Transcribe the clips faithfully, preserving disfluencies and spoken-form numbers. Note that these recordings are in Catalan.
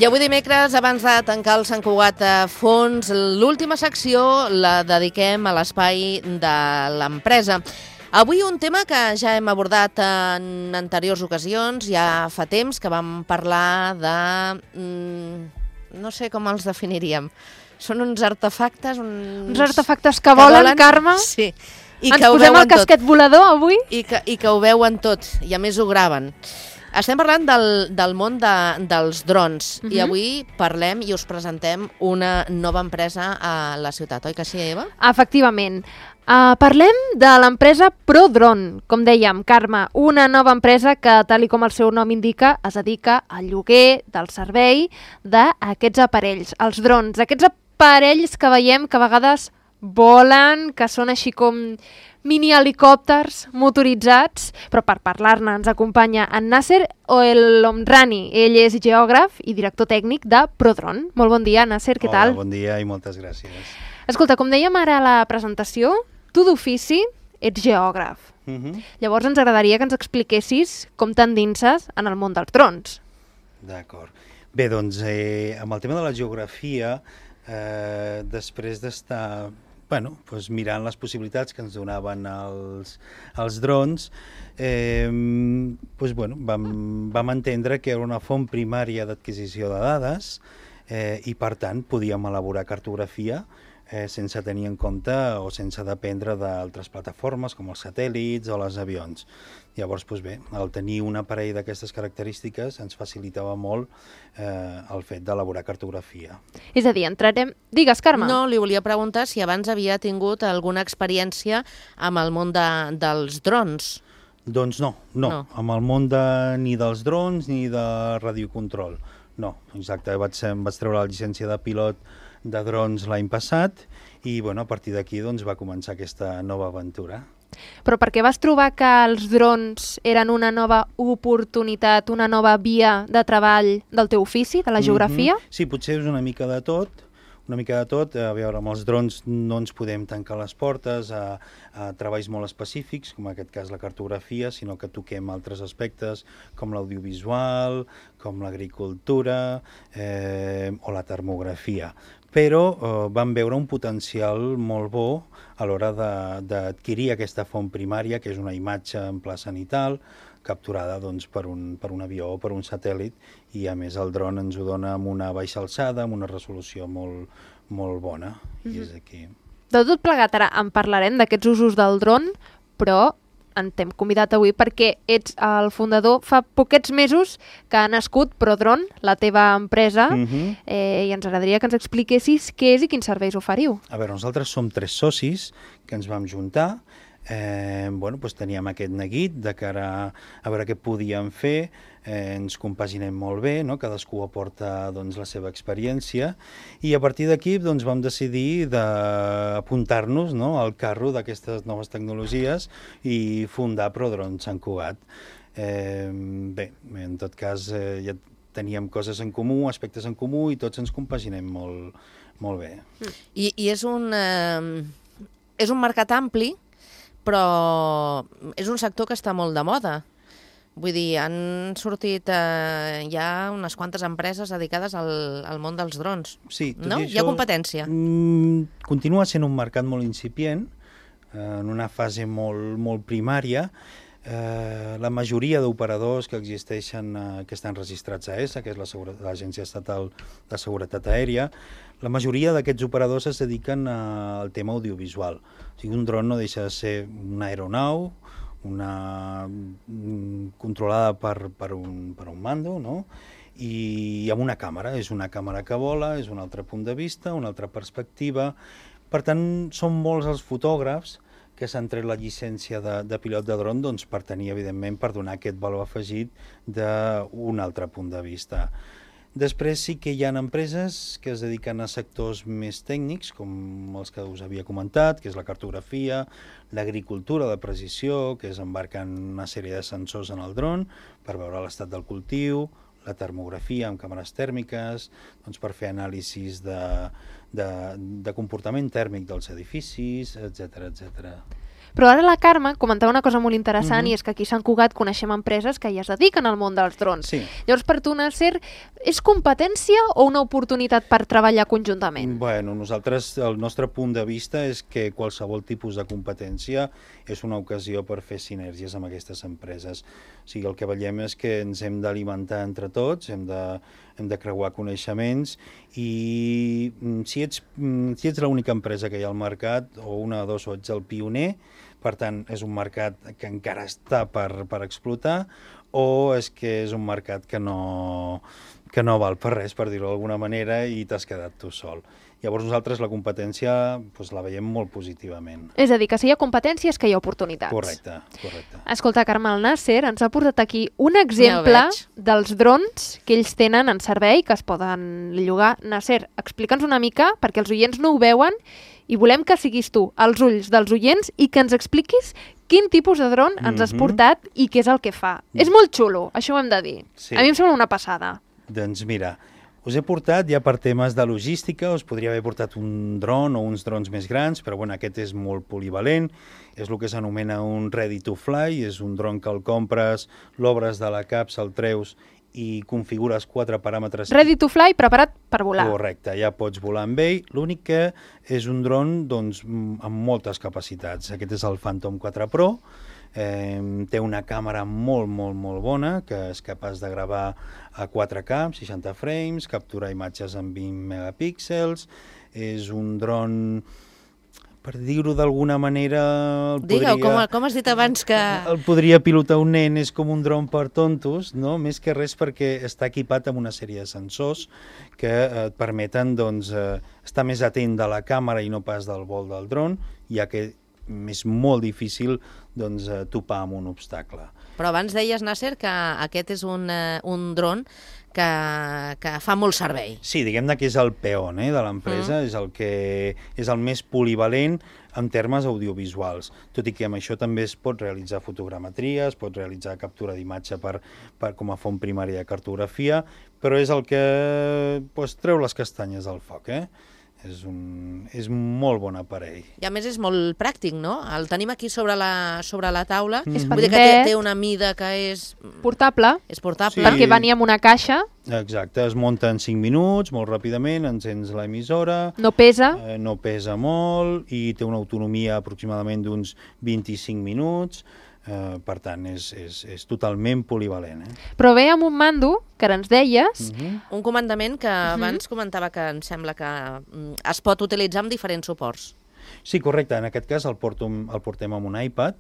I avui dimecres, abans de tancar el Sant Cugat a fons, l'última secció la dediquem a l'espai de l'empresa. Avui un tema que ja hem abordat en anteriors ocasions, ja fa temps que vam parlar de... no sé com els definiríem. Són uns artefactes... Uns, uns artefactes que volen, que volen Carme? Sí. I Ens que posem el casquet tot. volador avui? I que, I que ho veuen tot, i a més ho graven. Estem parlant del, del món de, dels drons, uh-huh. i avui parlem i us presentem una nova empresa a la ciutat, oi que sí, Eva? Efectivament. Uh, parlem de l'empresa ProDrone, com dèiem, Carme, una nova empresa que, tal i com el seu nom indica, es dedica al lloguer del servei d'aquests aparells, els drons, aquests aparells que veiem que a vegades volen, que són així com mini helicòpters motoritzats, però per parlar-ne ens acompanya en Nasser El-Omrani. Ell és geògraf i director tècnic de ProDrone. Molt bon dia, Nasser, què tal? Hola, bon dia i moltes gràcies. Escolta, com dèiem ara a la presentació, tu d'ofici ets geògraf. Uh-huh. Llavors ens agradaria que ens expliquessis com t'endinses en el món dels drons. D'acord. Bé, doncs, eh, amb el tema de la geografia, eh, després d'estar... Bueno, doncs mirant les possibilitats que ens donaven els, els drons, eh, doncs, bueno, vam, vam entendre que era una font primària d'adquisició de dades eh, i, per tant, podíem elaborar cartografia eh, sense tenir en compte o sense dependre d'altres plataformes com els satèl·lits o els avions. Llavors, doncs bé, el tenir un aparell d'aquestes característiques ens facilitava molt eh, el fet d'elaborar cartografia. És a dir, entrarem... Digues, Carme. No, li volia preguntar si abans havia tingut alguna experiència amb el món de, dels drons. Doncs no, no, no. Amb el món de, ni dels drons ni de radiocontrol. No, exacte, vaig, vaig treure la llicència de pilot de drons l'any passat i bueno, a partir d'aquí doncs, va començar aquesta nova aventura. Però per què vas trobar que els drons eren una nova oportunitat, una nova via de treball del teu ofici, de la geografia? Mm-hmm. Sí, potser és una mica de tot, una mica de tot. A veure, amb els drons no ens podem tancar les portes a, a treballs molt específics, com en aquest cas la cartografia, sinó que toquem altres aspectes com l'audiovisual, com l'agricultura eh, o la termografia. Però eh, vam veure un potencial molt bo a l'hora d'adquirir aquesta font primària, que és una imatge en pla cenital, capturada doncs, per, un, per un avió o per un satèl·lit, i a més el dron ens ho dona amb una baixa alçada, amb una resolució molt, molt bona. Mm-hmm. I és aquí. De tot plegat, ara en parlarem d'aquests usos del dron, però en t'hem convidat avui perquè ets el fundador, fa poquets mesos que ha nascut ProDrone, la teva empresa, mm-hmm. eh, i ens agradaria que ens expliquessis què és i quins serveis oferiu. A veure, nosaltres som tres socis que ens vam juntar, eh, bueno, doncs teníem aquest neguit de cara a, a veure què podíem fer, eh, ens compaginem molt bé, no? Cadascú aporta doncs, la seva experiència i a partir d'aquí doncs, vam decidir d'apuntar-nos, no? al carro d'aquestes noves tecnologies i fundar ProDrone Sant Cugat. Eh, bé, en tot cas eh, ja teníem coses en comú, aspectes en comú i tots ens compaginem molt, molt bé. I, i és, un, eh, és un mercat ampli, però és un sector que està molt de moda. Vull dir, han sortit eh, ja unes quantes empreses dedicades al, al món dels drons. Sí, tot no? i això, hi ha competència. Mm, continua sent un mercat molt incipient, eh, en una fase molt, molt primària. Eh, la majoria d'operadors que existeixen, eh, que estan registrats a E S A, que és l'Agència Estatal de Seguretat Aèria, la majoria d'aquests operadors es dediquen a, al tema audiovisual. O sigui, un dron no deixa de ser una aeronau, una controlada per, per, un, per un mando, no? I amb una càmera, és una càmera que vola, és un altre punt de vista, una altra perspectiva. Per tant, són molts els fotògrafs que s'han tret la llicència de, de pilot de dron doncs, per tenir, evidentment, per donar aquest valor afegit d'un altre punt de vista. Després sí que hi ha empreses que es dediquen a sectors més tècnics, com els que us havia comentat, que és la cartografia, l'agricultura de precisió, que és embarcant una sèrie de sensors en el dron per veure l'estat del cultiu, la termografia amb càmeres tèrmiques, doncs per fer anàlisis de, de, de comportament tèrmic dels edificis, etcètera, etcètera. Però ara la Carme comentava una cosa molt interessant, Mhm. i és que aquí a Sant Cugat coneixem empreses que ja es dediquen al món dels drons. Sí. Llavors, per tu, Nasser, és competència o una oportunitat per treballar conjuntament? Bueno, nosaltres, el nostre punt de vista és que qualsevol tipus de competència és una ocasió per fer sinergies amb aquestes empreses. O sigui, el que veiem és que ens hem d'alimentar entre tots, hem de, hem de creuar coneixements, i mm, si ets, mm, si ets l'única empresa que hi ha al mercat, o una o dos, o ets el pioner, per tant, és un mercat que encara està per, per explotar, o és que és un mercat que no, que no val per res, per dir-ho d'alguna manera, i t'has quedat tu sol. Llavors nosaltres la competència doncs, la veiem molt positivament. És a dir, que si hi ha competència és que hi ha oportunitats. Correcte, correcte. Escolta, Carme, el Nasser ens ha portat aquí un exemple Ja ho veig. dels drons que ells tenen en servei, que es poden llogar. Nasser, explica'ns una mica, perquè els oients no ho veuen, i volem que siguis tu, als ulls dels oients, i que ens expliquis quin tipus de dron ens has Mhm. portat i què és el que fa. És molt xulo, això ho hem de dir. Sí. A mi em sembla una passada. Doncs mira, us he portat ja per temes de logística, us podria haver portat un dron o uns drons més grans, però bueno, aquest és molt polivalent, és el que s'anomena un ready to fly, és un dron que el compres, l'obres de la capsa, el treus i configures quatre paràmetres. Ready to fly, preparat per volar. Correcte, ja pots volar amb ell. L'únic que és un dron doncs, m- amb moltes capacitats. Aquest és el Phantom quatre Pro. Eh, té una càmera molt, molt, molt bona, que és capaç de gravar a quatre K, amb seixanta frames, capturar imatges amb vint megapíxels. És un dron, per dir-ho d'alguna manera... el Digue-ho, podria- com, com has dit abans que... el podria pilotar un nen, és com un dron per tontos, no? Més que res perquè està equipat amb una sèrie de sensors que eh, et permeten doncs, eh, estar més atent de la càmera i no pas del vol del dron, ja que és molt difícil doncs, eh, topar amb un obstacle. Però abans deies, Nasser, que aquest és un, eh, un dron que, que fa molt servei. Sí, diguem-ne que és el peón eh, de l'empresa, mm. és el que és el més polivalent en termes audiovisuals, tot i que amb això també es pot realitzar fotogrametria, es pot realitzar captura d'imatge per, per, com a font primària de cartografia, però és el que pues, treu les castanyes del foc, eh? És un és molt bon aparell. I a més és molt pràctic, no? El tenim aquí sobre la, sobre la taula. És Vull dir que té, té una mida que és, Portable, és portable. Sí. perquè venia amb una caixa, Exacte, es munta en cinc minuts, molt ràpidament, encens l'emissora, no pesa. eh, no pesa molt i té una autonomia aproximadament d'uns vint-i-cinc minuts, eh, per tant és, és, és totalment polivalent. Eh? Però ve amb un mando, que ara ens deies, Mm -hmm. Un comandament que abans comentava que em sembla que mm, es pot utilitzar amb diferents suports. Sí, correcte, en aquest cas el, porto, el portem amb un iPad,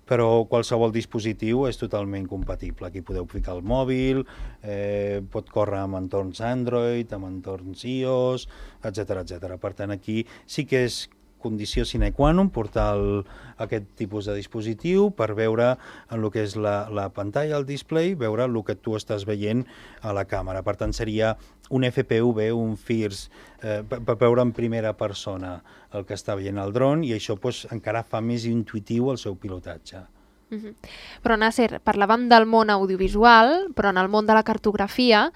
però qualsevol dispositiu és totalment compatible. Aquí podeu ficar el mòbil, eh, pot córrer amb entorns Android, amb entorns iOS, etcètera etcètera. Per tant, aquí sí que és condició sine qua non portar el, aquest tipus de dispositiu per veure en el que és la, la pantalla, el display, veure el que tu estàs veient a la càmera. Per tant, seria un F P V, un FIRS, eh, per, per veure en primera persona el que està veient el dron, i això pues, encara fa més intuitiu el seu pilotatge. Mhm. Però Nasser, parlàvem del món audiovisual, però en el món de la cartografia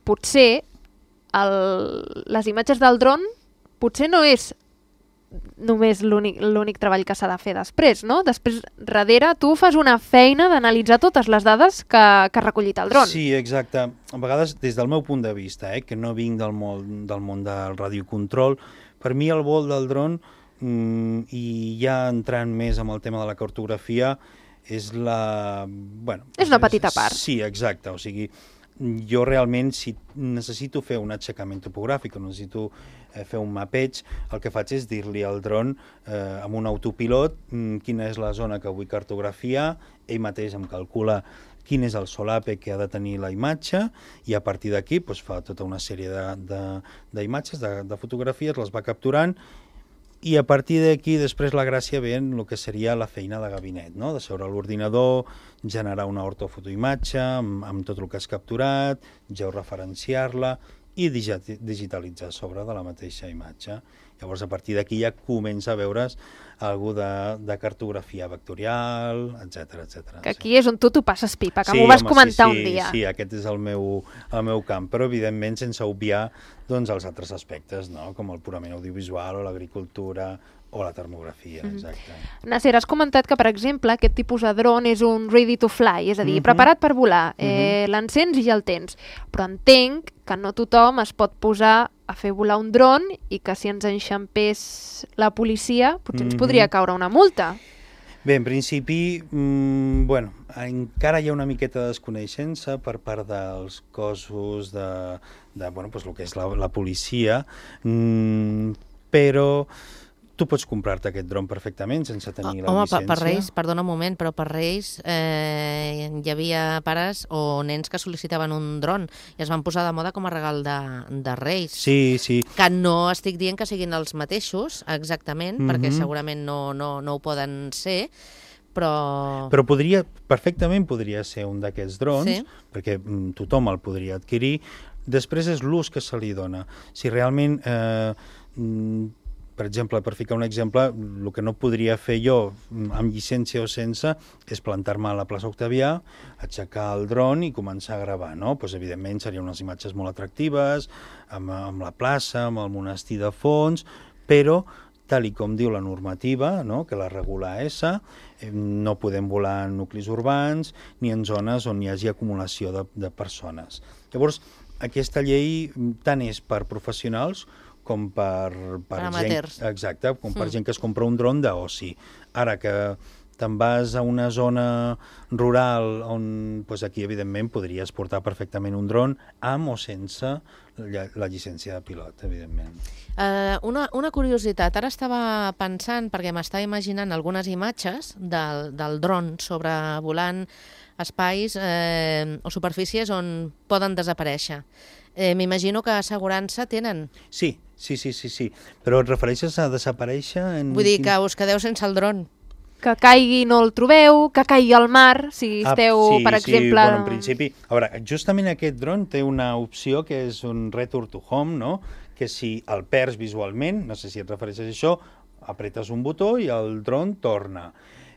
potser el, les imatges del dron potser no és només l'únic l'únic treball que s'ha de fer després, no? Després, darrere, tu fas una feina d'analitzar totes les dades que, que ha recollit el dron. Sí, exacte. A vegades, des del meu punt de vista, eh, que no vinc del món, del món del radiocontrol, per mi el vol del dron, mm, i ja entrant més amb el tema de la cartografia, és la... Bueno, És una petita part. Sí, exacte. O sigui, jo realment, si necessito fer un aixecament topogràfic o necessito eh, fer un mapeig, el que faig és dir-li al dron eh, amb un autopilot mm, quina és la zona que vull cartografiar, ell mateix em calcula quin és el solape que ha de tenir la imatge, i a partir d'aquí doncs, fa tota una sèrie d'imatges, de, de, de, de fotografies, les va capturant, i a partir d'aquí després la gràcia ve en el que seria la feina de gabinet, no? De seure a l'ordinador, generar una ortofotoimatge amb, amb tot el que has capturat, georreferenciar-la i digitalitzar sobre de la mateixa imatge. Llavors, a partir d'aquí ja comença a veure's alguna de, de cartografia vectorial, etcètera etcètera. Que aquí sí. És on tu t'ho passes pipa, que sí, m'ho vas home, comentar sí, sí, un dia. Sí, aquest és el meu, el meu camp, però evidentment sense obviar doncs, els altres aspectes, no? Com el purament audiovisual o l'agricultura o la termografia, exacte. Mm-hmm. Nasser, has comentat que, per exemple, aquest tipus de dron és un ready to fly, és a dir, mm-hmm. preparat per volar, eh, mm-hmm. l'encens i ja el tens. Però entenc que no tothom es pot posar a fer volar un dron i que si ens enxampés la policia potser ens mm-hmm. podria caure una multa. Bé, en principi, mmm, bueno, encara hi ha una miqueta de desconeixença per part dels cossos de, de bueno, pues, el que és la, la policia, mmm, però tu pots comprar-te aquest dron perfectament sense tenir oh, la home, llicència. Home, per Reis, perdona un moment, però per Reis eh, hi havia pares o nens que sol·licitaven un dron i es van posar de moda com a regal de, de Reis. Sí, sí. Que no estic dient que siguin els mateixos, exactament, mm-hmm. perquè segurament no, no, no ho poden ser, però... Però podria, perfectament podria ser un d'aquests drons, sí. perquè mm, tothom el podria adquirir. Després és l'ús que se li dona. Si realment... Eh, mm, per exemple, per ficar un exemple, el que no podria fer jo amb llicència o sense és plantar-me a la plaça Octavià, aixecar el dron i començar a gravar, no? Pues, evidentment serien unes imatges molt atractives, amb, amb la plaça, amb el monestir de fons, però tal i com diu la normativa, no? Que la regula A S A, eh, no podem volar en nuclis urbans ni en zones on hi hagi acumulació de, de persones. Llavors, aquesta llei tant és per professionals com per, per, per gent, exacte, com per mm. gent que es compra un dron d'oci. Ara que te'n vas a una zona rural on, doncs aquí, evidentment, podries portar perfectament un dron amb o sense la, la llicència de pilot, evidentment. Uh, una, una curiositat, ara estava pensant, perquè m'estava imaginant algunes imatges del, del dron sobrevolant espais eh, o superfícies on poden desaparèixer. Eh, M'imagino que assegurança tenen. Sí, sí, sí, sí, sí. Però et refereixes a desaparèixer? En Vull dir quin... que us quedeu sense el dron. Que caigui no el trobeu, que caigui al mar, si esteu, ah, sí, per exemple... Sí, bueno, en principi... A veure, justament aquest dron té una opció que és un return to home, no? Que si el perds visualment, no sé si et refereixes a això, apretes un botó i el dron torna.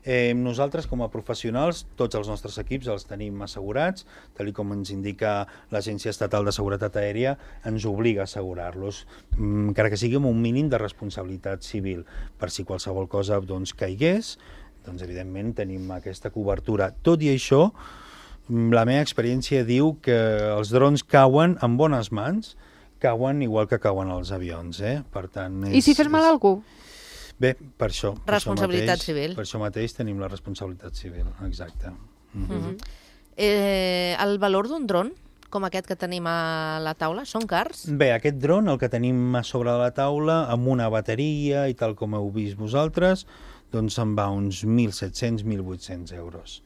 Eh, nosaltres, com a professionals, tots els nostres equips els tenim assegurats, tal com ens indica l'Agència Estatal de Seguretat Aèria, ens obliga a assegurar-los, encara que sigui amb un mínim de responsabilitat civil, per si qualsevol cosa doncs, caigués, doncs evidentment tenim aquesta cobertura. Tot i això, la meva experiència diu que els drons cauen en bones mans, cauen igual que cauen els avions, eh? Per tant, és, I si fes mal a algú? Bé, per això. Per responsabilitat això mateix, civil. Per això mateix tenim la responsabilitat civil, exacte. Mm-hmm. Mm-hmm. eh, el valor d'un dron, com aquest que tenim a la taula, són cars? Bé, aquest dron, el que tenim a sobre de la taula, amb una bateria i tal com heu vist vosaltres, doncs se'n va uns mil set-cents a mil vuit-cents euros.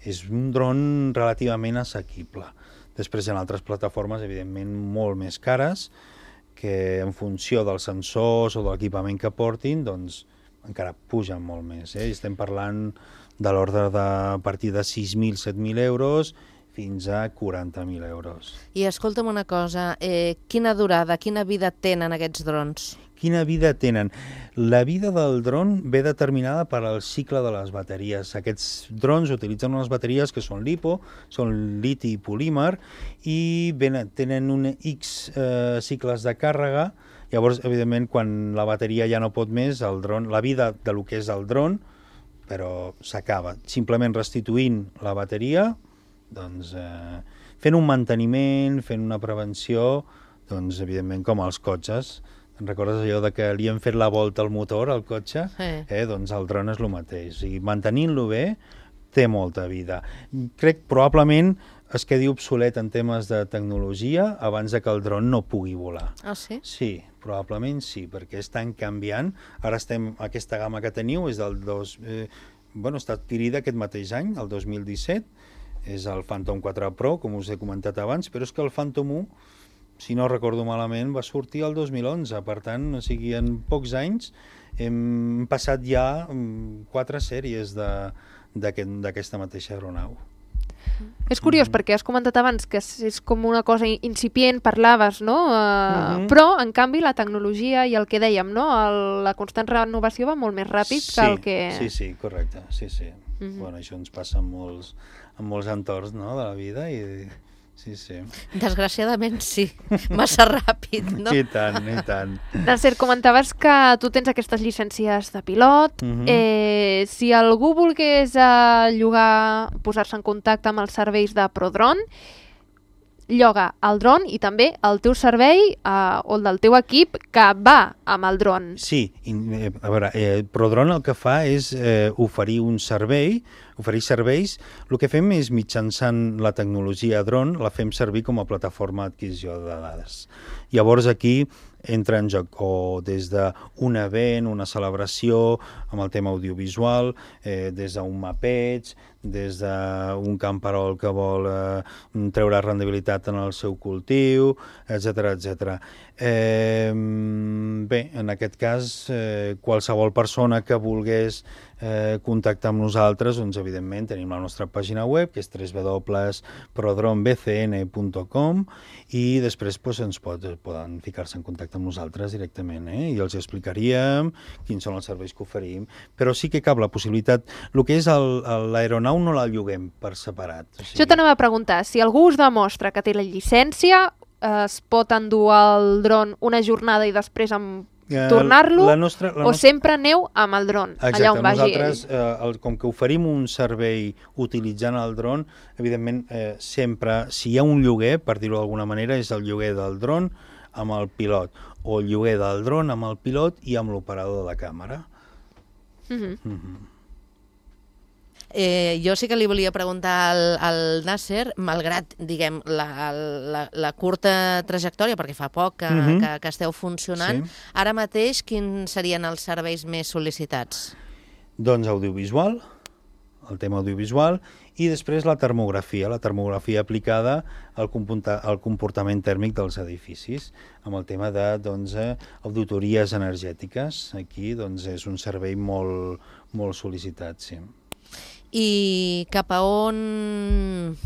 És un dron relativament assequible. Després hi ha altres plataformes, evidentment, molt més cares, que en funció dels sensors o de l'equipament que portin, doncs encara pugen molt més. Eh? Estem parlant de l'ordre de a partir de sis mil a set mil euros fins a quaranta mil euros. I escolta'm una cosa, eh, quina durada, quina vida tenen aquests drons? Quina vida tenen? La vida del dron ve determinada per al cicle de les bateries. Aquests drons utilitzen unes bateries que són LiPo, són liti i polímer, i tenen un X eh, cicles de càrrega. Llavors, evidentment, quan la bateria ja no pot més, el dron, la vida de lo que és el dron, però s'acaba. Simplement restituint la bateria, doncs, eh, fent un manteniment, fent una prevenció, doncs, evidentment, com els cotxes. Te'n recordes allò de que li hem fet la volta al motor, al cotxe? Sí. Eh, doncs el dron és el mateix. O sigui, mantenint-lo bé, té molta vida. Crec probablement es quedi obsolet en temes de tecnologia abans de que el dron no pugui volar. Ah, sí? Sí, probablement sí, perquè estan canviant. Ara estem, aquesta gamma que teniu és del dos... Eh, bueno, està adquirida aquest mateix any, el dos mil disset, és el Phantom quatre Pro, com us he comentat abans, però és que el Phantom u, si no recordo malament, va sortir el dos mil onze, per tant, o sigui, en pocs anys hem passat ja quatre sèries d'aquesta mateixa aeronau. És curiós, mm-hmm. perquè has comentat abans que és com una cosa incipient, parlaves, no? Uh, mm-hmm. Però, en canvi, la tecnologia i el que dèiem, no? El, la constant renovació va molt més ràpid sí, que el que... Sí, sí, correcte, sí, sí. Mm-hmm. Bueno, això ens passa en molts, en molts entorns, no?, de la vida i... sí, sí. Desgraciadament sí, massa ràpid, no? I tant, i tant. Nasser, comentaves que tu tens aquestes llicències de pilot. Mhm. eh, si algú volgués eh, llogar, posar-se en contacte amb els serveis de ProDrone, lloga el dron i també el teu servei eh, o el del teu equip que va amb el dron. Sí, i, eh, a veure, eh, ProDrone el que fa és eh, oferir un servei, oferir serveis. El que fem és, mitjançant la tecnologia dron, la fem servir com a plataforma d'adquisició de dades. Llavors aquí entra en joc o des d'un event, una celebració amb el tema audiovisual, eh, des d'un mapeig, des d'un camperol que vol eh, treure rendibilitat en el seu cultiu, etcètera, etcètera. Eh, bé, en aquest cas, eh, qualsevol persona que volgués eh, contactar amb nosaltres, doncs evidentment tenim la nostra pàgina web, que és w w w punt prodrone b c n punt com, i després doncs, ens pot, poden ficar-se en contacte amb nosaltres directament, eh? I els explicaríem quins són els serveis que oferim, però sí que cap la possibilitat. El que és l'aeronau no la lloguem per separat. O sigui... Jo t'anava a preguntar, si algú us demostra que té la llicència, eh, es pot endur el dron una jornada i després amb tornar-lo, la nostra, la o nostra... sempre aneu amb el dron, Exacte, allà on vagi nosaltres, ell. eh, el, com que oferim un servei utilitzant el dron, evidentment, eh, sempre, si hi ha un lloguer, per dir-ho d'alguna manera, és el lloguer del dron amb el pilot, o el lloguer del dron amb el pilot i amb l'operador de la càmera. Uh -huh. Uh -huh. Eh, jo sí que li volia preguntar al, al Nasser, malgrat, diguem, la, la, la curta trajectòria, perquè fa poc que, Mhm. que, que esteu funcionant, Sí. ara mateix quins serien els serveis més sol·licitats? Doncs audiovisual, el tema audiovisual, i després la termografia, la termografia aplicada al, computa, al comportament tèrmic dels edificis, amb el tema de doncs, eh, auditories energètiques. Aquí doncs, és un servei molt, molt sol·licitat, sí. I cap a on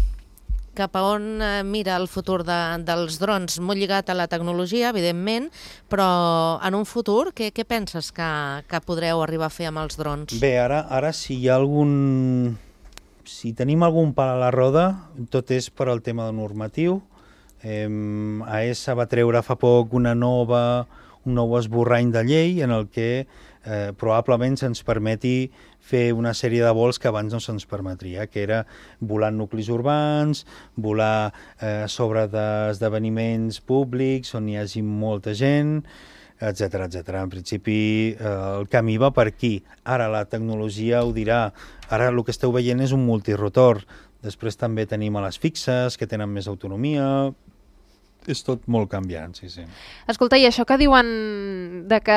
cap a on eh, mira el futur de, dels drons? Molt lligat a la tecnologia, evidentment, però en un futur què, què penses que, que podreu arribar a fer amb els drons? Bé, ara, ara si hi ha algun... Si tenim algun pal a la roda, tot és per al tema normatiu. Eh, A E S A va treure fa poc una nova, un nou esborrany de llei en el que eh, probablement se'ns permeti fer una sèrie de vols que abans no se'ns permetria, que era volar en nuclis urbans, volar eh, sobre d'esdeveniments públics on hi hagi molta gent, etcètera, etcètera. En principi, eh, el camí va per aquí. Ara la tecnologia ho dirà. Ara el que esteu veient és un multirotor. Després també tenim a les fixes, que tenen més autonomia. És tot molt canviant, sí, sí. Escolta, i això que diuen de que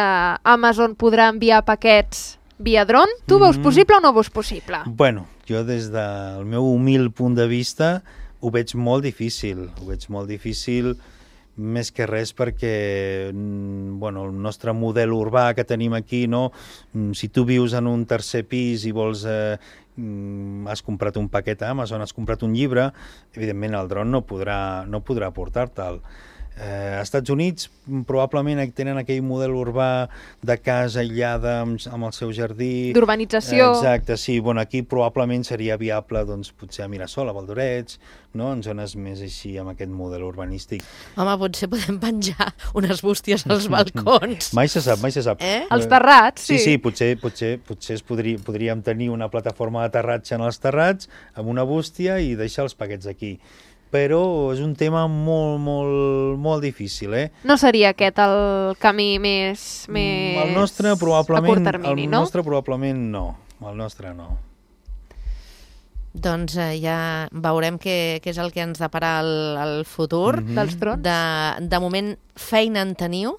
Amazon podrà enviar paquets via dron, tu ho veus Mhm. possible o no ho veus possible? Bueno, jo des del meu humil punt de vista ho veig molt difícil. Ho veig molt difícil més que res perquè mm, bueno, el nostre model urbà que tenim aquí, no? Mm, si tu vius en un tercer pis i vols eh, mm, has comprat un paquet a Amazon, has comprat un llibre, evidentment el dron no podrà, no podrà portar-te'l. Eh, als Estats Units mm, probablement tenen aquell model urbà de casa aïllada amb, amb el seu jardí. D'urbanització. Eh, exacte, sí. Bueno, aquí probablement seria viable doncs, potser a Mirasol, a Valdorets, no? En zones més així amb aquest model urbanístic. Home, potser podem penjar unes bústies als balcons. Mai se sap, mai se sap. Eh? Els terrats, Sí, sí. sí, potser, potser, potser es podria, podríem tenir una plataforma d'aterratge en els terrats amb una bústia i deixar els paquets aquí. Però és un tema molt, molt, molt difícil, eh? No seria aquest el camí més, més El nostre probablement, a curt termini, el no? nostre probablement no. El nostre no. Doncs eh, ja veurem què, què és el que ens deparà el, el futur. Mhm. Dels drons. De, de moment, feina en teniu?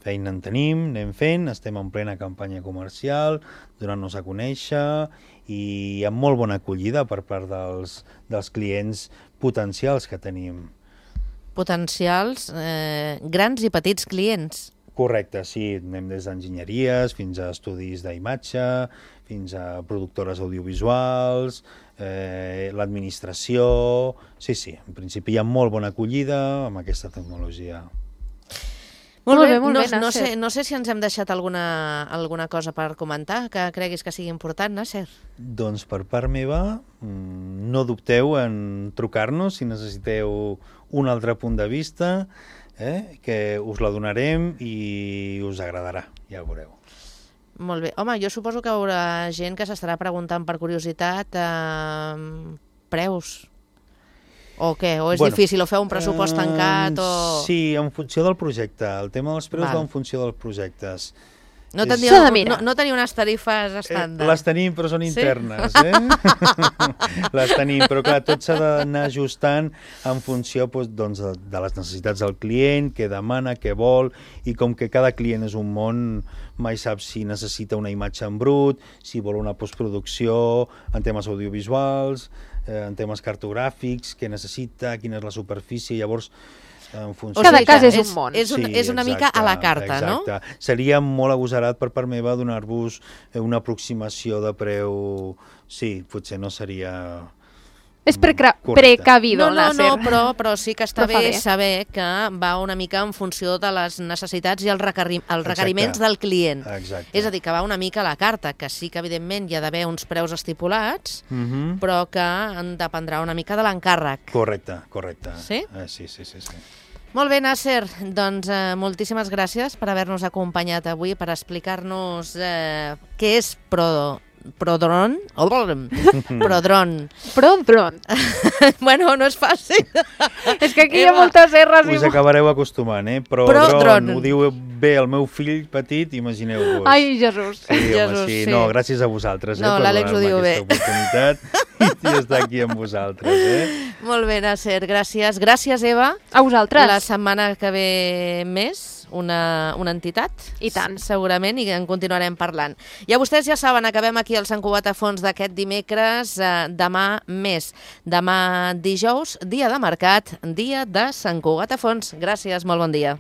Feina en tenim, anem fent, estem en plena campanya comercial, donant-nos a conèixer i amb molt bona acollida per part dels, dels clients potencials que tenim. Potencials, eh, grans i petits clients. Correcte, sí, anem des d'enginyeries fins a estudis d'imatge, fins a productores audiovisuals, eh, l'administració... Sí, sí, en principi hi ha molt bona acollida amb aquesta tecnologia. Molt Molt bé, bé, molt no, bé, no, Nasser. sé, no sé si ens hem deixat alguna, alguna cosa per comentar que creguis que sigui important, Nasser. Doncs per part meva, mm, no dubteu en trucar-nos si necessiteu un altre punt de vista, eh, que us la donarem i us agradarà, ja ho veureu. Molt bé. Home, jo suposo que hi haurà gent que s'estarà preguntant per curiositat eh, preus. O què? O és Bueno, difícil? O feu un pressupost eh, tancat? O... Sí, en funció del projecte. El tema dels preus Val. va en funció dels projectes. No, És- teniu, S'ha de mirar. no, no teniu unes tarifes Eh, estàndard? les tenim, però són Sí? internes, eh? les tenim, però clar, tot s'ha d'anar ajustant en funció doncs, doncs, de, de les necessitats del client, què demana, què vol, i com que cada client és un món, mai sap si necessita una imatge en brut, si vol una postproducció, en temes audiovisuals, eh, en temes cartogràfics, què necessita, quina és la superfície, llavors en funció... Cada sigui cas que és un món. És, un, Sí, és una mica a la carta, exacte. no? Seria molt agosarat per part meva donar-vos una aproximació de preu... Sí, potser no seria... És precra- correcte. precavido, No, no, Nasser. no, però, però sí que està Però fa bé bé. saber que va una mica en funció de les necessitats i els, requerim, els requeriments Exacte. del client. Exacte. És a dir, que va una mica a la carta, que sí que evidentment hi ha d'haver uns preus estipulats, Mhm. però que en dependrà una mica de l'encàrrec. Correcte, correcte. Sí? Eh, sí, sí, sí, sí. Molt bé, Nasser, doncs eh, moltíssimes gràcies per haver-nos acompanyat avui, per explicar-nos eh, què és Pro... Prodron? Prodron. Prodron. Bueno, no és fàcil. És que aquí hi ha Eva, moltes erres i... Us acabareu acostumant, eh? Però Prodron. dron, ho diu bé el meu fill petit, imagineu-vos. Ai, Jesús. Sí, home, Jesús, sí. sí. No, gràcies a vosaltres, eh, No, per l'Àlex ho donar-me diu bé. aquesta oportunitat i estar aquí amb vosaltres, eh? Molt bé, Nasser, gràcies. Gràcies, Eva. A vosaltres. La setmana que ve més, una, una entitat. I tant. Segurament, i en continuarem parlant. I a vostès ja saben, acabem aquí el Sant Cugat a Fons d'aquest dimecres, eh, demà més. Demà dijous, dia de mercat, dia de Sant Cugat a Fons. Gràcies, molt bon dia.